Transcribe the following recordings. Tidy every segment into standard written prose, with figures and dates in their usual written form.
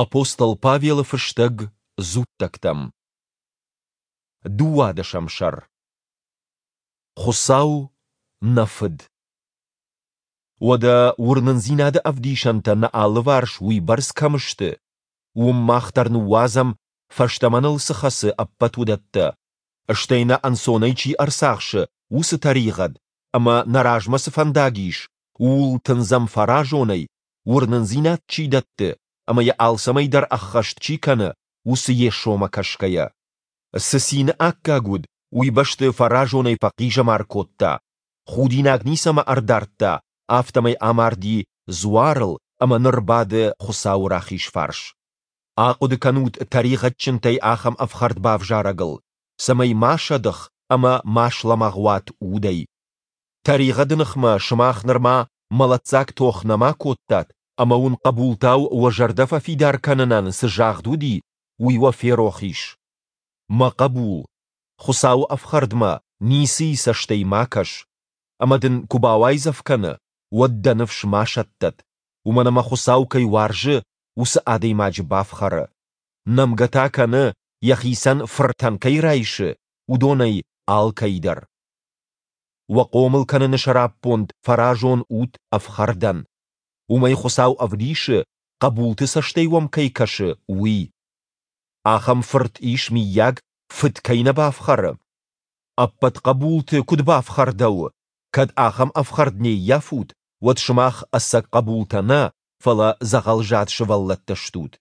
Апостол Павелы фыстӕг дзуттӕгтӕм. Дыууадӕсӕм сӕр. Хуыцау, нӕ Фыд. Уӕдӕ уырнындзинады ӕвдисӕнтӕ нӕ алыварс уыйбӕрц кӕм сты, уым мах дӕр ныууадзӕм, фӕстӕмӕ ныл цы хӕцы, ӕппӕт уыдӕттӕ, стӕй нӕ ӕнцонӕй чи ӕрцахсы, уыцы тӕригъӕд, ӕмӕ нӕ размӕ цы фӕндаг ис, ууыл тындзӕм фӕразонӕй, уырнындзинад чи дӕтты ӕмӕ йӕ алцӕмӕй дӕр ӕххӕст чи кӕны, уыцы Йесомӕ кӕсгӕйӕ. Цы цины аккаг уыд, уый бӕсты фӕразонӕй фӕхъизӕмар кодта, худинаг ницӕмӕ ӕрдардта, афтӕмӕй амарди дзуарыл ӕмӕ ныр бады Хуыцауы рахиз фарс. Ахъуыды кӕнут тӕригъӕдджынтӕй ахӕм ӕфхӕрд бавзарӕгыл, цӕмӕй ма сӕдых ӕмӕ ма слӕмӕгъ уат удӕй. Тӕригъӕды ныхмӕ сымах нырма мӕлӕтдзаг тох нӕма кодтат ӕмӕ уын хъӕбултау уӕ зӕрдӕ фӕфидар кӕнынӕн цы загъд уыди, уый уӕ ферох ис. Мӕ хъӕбул, Хуыцауы ӕфхӕрдмӕ ницыйы цӕстӕй ма кӕс, ӕмӕ дын куы бауайдзӕф кӕны, уӕд дӕ ныфс ма сӕттӕд, уымӕн ӕмӕ Хуыцау кӕй уарзы, уыцы адӕймаджы бафхӕры. Нӕмгӕ та кӕны, йӕхицӕн фыртӕн кӕй райсы, уыдонӕй алкӕй дӕр. Уӕ хъомыл кӕныны сӕраппонд фӕразон ут ӕфхӕрдӕн. Уымӕй Хуыцау ӕвдисы, хъӕбулты цӕстӕй уӕм кӕй кӕсы, уый. Ахӕм фырт ис, мыййаг, фыд кӕй нӕ бафхӕры? Ӕппӕт хъӕбулты куыд бафхӕрдӕуы, кӕд ахӕм ӕфхӕрд не ййафут, уӕд сымах ӕцӕг хъӕбултӕ нӕ, фӕлӕ дзӕгъӕлзад сывӕллӕттӕ стут.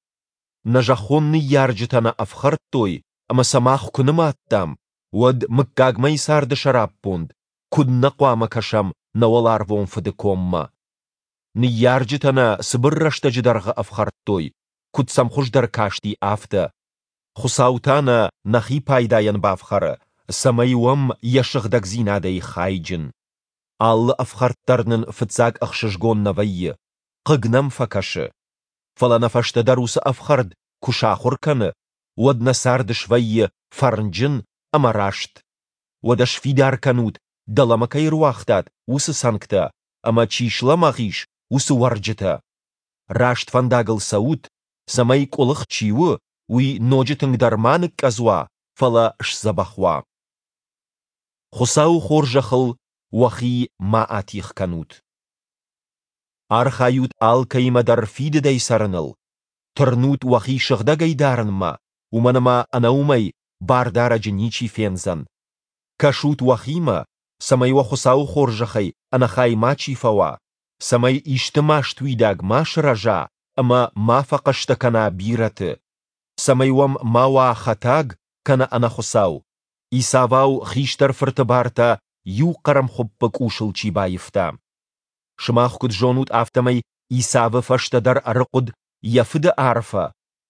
Нӕ зӕххон ныййарджытӕ нӕ ӕфхӕрдтой ӕмӕ сӕ мах куы нымадтам, уӕд мыггагмӕйы царды сӕраппонд куыд нӕ хъуамӕ кӕсӕм нӕ уӕларвон Фыды коммӕ? Ныййарджытӕ нӕ цыбыр рӕстӕджы дӕргъы ӕфхӕрдтой, куыд сӕм хуыздӕр касти, афтӕ. Хуыцау та нӕ нӕхи пайдайӕн бафхӕры, цӕмӕй уӕм йӕ сыгъдӕгдзинадӕй хайджын. Алы ӕфхӕрд дӕр нын фыццаг ӕхсызгон нӕ вӕййы, хъыг нӕм фӕкӕсы. Фӕлӕ нӕ фӕстӕдӕр уыцы ӕфхӕрд куы сахуыр кӕны, уӕд нӕ цард свӕййы фӕрнджын ӕмӕ раст. Уӕдӕ сфидар кӕнут, дӕлӕмӕ кӕй ӕруагътат, уыцы цӕнгтӕ, ӕмӕ чи слӕмӕгъ ис, уыцы уӕрджытӕ. Раст фӕндагыл цӕут, цӕмӕй къуылых чи у, уый ноджы тынгдӕр ма ныкъкъӕдз уа, фӕлӕ сдзӕбӕх уа. Хуыцауы хорзӕхыл уӕхи ма атигъ кӕнут. Архайут алкӕимӕ дӕр фидыдӕй цӕрыныл, тырнут уӕхи сыгъдӕгӕй дарынмӕ, уымӕн ӕмӕ ӕнӕ уымӕй Бардарӕджы ничи фендзӕн. Кӕсут уӕхимӕ, цӕмӕй уӕ Хуыцауы хорзӕхӕй ӕнӕхай мачи фӕуа, цӕмӕй исты маст уидаг ма сырӕза ӕмӕ ма фӕхъӕстӕ кӕна бирӕты, цӕмӕй уӕм ма уа хӕтаг кӕнӕ ӕнӕхуыцау, Исавау хистӕр фырты бартӕ иу хъӕрмхуыппы къусыл чи баивта. Сымах куыд зонут, афтӕмӕй Исавы фӕстӕдӕр ӕрыхъуыд йӕ фыды арфӕ,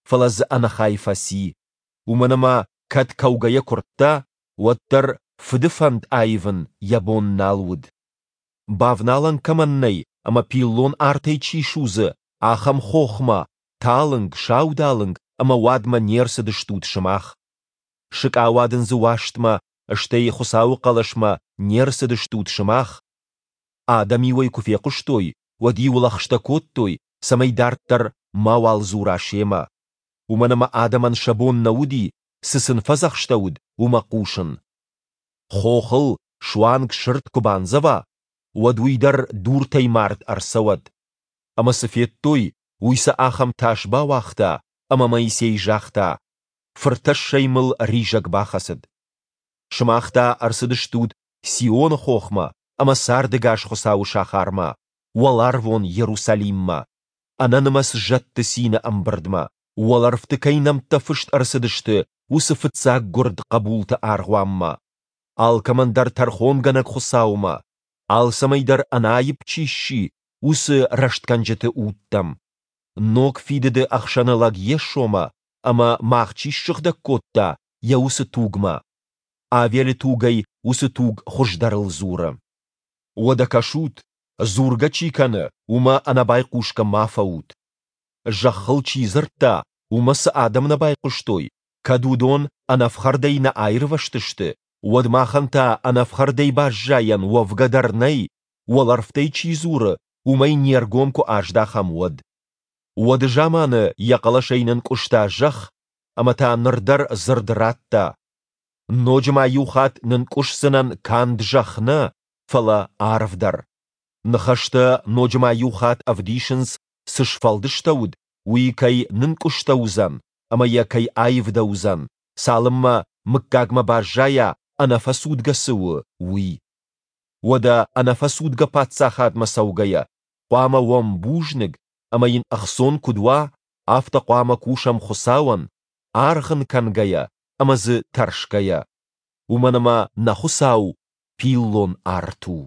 фӕлӕ дзы ӕнӕхай фӕци, уымӕн ӕмӕ кӕд кӕугӕйӕ куырдта, уӕддӕр фыды фӕнд аивын йӕ бон нал уыд. Бавналӕн кӕмӕн нӕй ӕмӕ пиллон артӕй чи судзы, ахӕм хохмӕ, талынг, саудалынг ӕмӕ уадмӕ не рцыдыстут сымах. Сыкъауадындзы уастмӕ, стӕй Хуыцауы хъӕлӕсмӕ не рцыдыстут сымах. Адӕм-иу ӕй куы фехъуыстой, уӕд-иу лӕгъстӕ кодтой, цӕмӕй дарддӕр мауал дзура семӕ. Уымӕн ӕмӕ адӕмӕн сӕ бон нӕ уыди, цы сын фӕдзӕхстӕуыд, уымӕ хъусын. Хохыл суанг сырд куы бандзӕва, уӕд уый дӕр дуртӕй мард ӕрцӕуӕд. Ӕмӕ цы федтой, уый сӕ ахӕм тас бауагъта, ӕмӕ Моисей загъта, Фыртӕссӕй мыл ризӕг бахӕцыд. Сымах та ӕрцыдыстут Сионы хохмӕ ӕмӕ цардӕгас Хуыцауы сахармӕ, уӕларвон Иерусалиммӕ, ӕнӕнымӕц зӕдты цины ӕмбырдмӕ, уӕлӕрвты кӕй нӕмттӕ фыст ӕрцыдысты, уыцы фыццаггуырд хъӕбулты аргъуанмӕ, алкӕмӕн дӕр тӕрхонгӕнӕг Хуыцаумӕ, алцӕмӕй дӕр ӕнаипп чи сси, уыцы рӕстгӕнджыты удтӕм, ног фидыды ӕхсӕнылӕг Йесомӕ ӕмӕ мах чи ссыгъдӕг кодта, йӕ уыцы тугмӕ. Авелы тугӕй уыцы туг хуыздӕрыл дзуры. Уӕдӕ кӕсут, дзургӕ чи кӕны, уымӕ ӕнӕбайхъусгӕ ма фӕут. Зӕххыл чи дзырдта, уымӕ цы адӕм нӕ байхъуыстой, кӕд уыдон ӕнӕфхӕрдӕй нӕ аирвӕзтысты, уӕд махӕн та ӕнӕфхӕрдӕй баззайӕн уӕвгӕ дӕр нӕй, уӕлӕрвтӕй чи дзуры, уымӕй не ргом куы аздахӕм, уӕд. Уӕды заманы йӕ хъӕлӕсӕй нынкъуыста зӕхх, ӕмӕ та ныр дӕр дзырд радта, Ноджы ма иу хатт нынкъуысдзынӕн канд зӕхх нӕ, фӕлӕ арв дӕр. Ныхӕстӕ ноджы ма иу хатт ӕвдисынц, цы сфӕлдыстӕуыд, уый кӕй нынкъуыстӕуыдзӕн ӕмӕ йӕ кӕй аивдӕуыдзӕн, цалынмӕ мыггагмӕ баззайа, ӕнӕфӕцудгӕ цы у, уый. Уӕдӕ ӕнӕфӕцудгӕ Паддзахадмӕ цӕугӕйӕ, хъуамӕ уӕм бузныг, ӕмӕ йын ӕхцон куыд уа, афтӕ хъуамӕ кусӕм Хуыцауӕн, аргъ ын кӕнгӕйӕ ӕмӕ дзы тӕрсгӕйӕ. Уымӕн ӕмӕ нӕ Хуыцау пиллон арт у.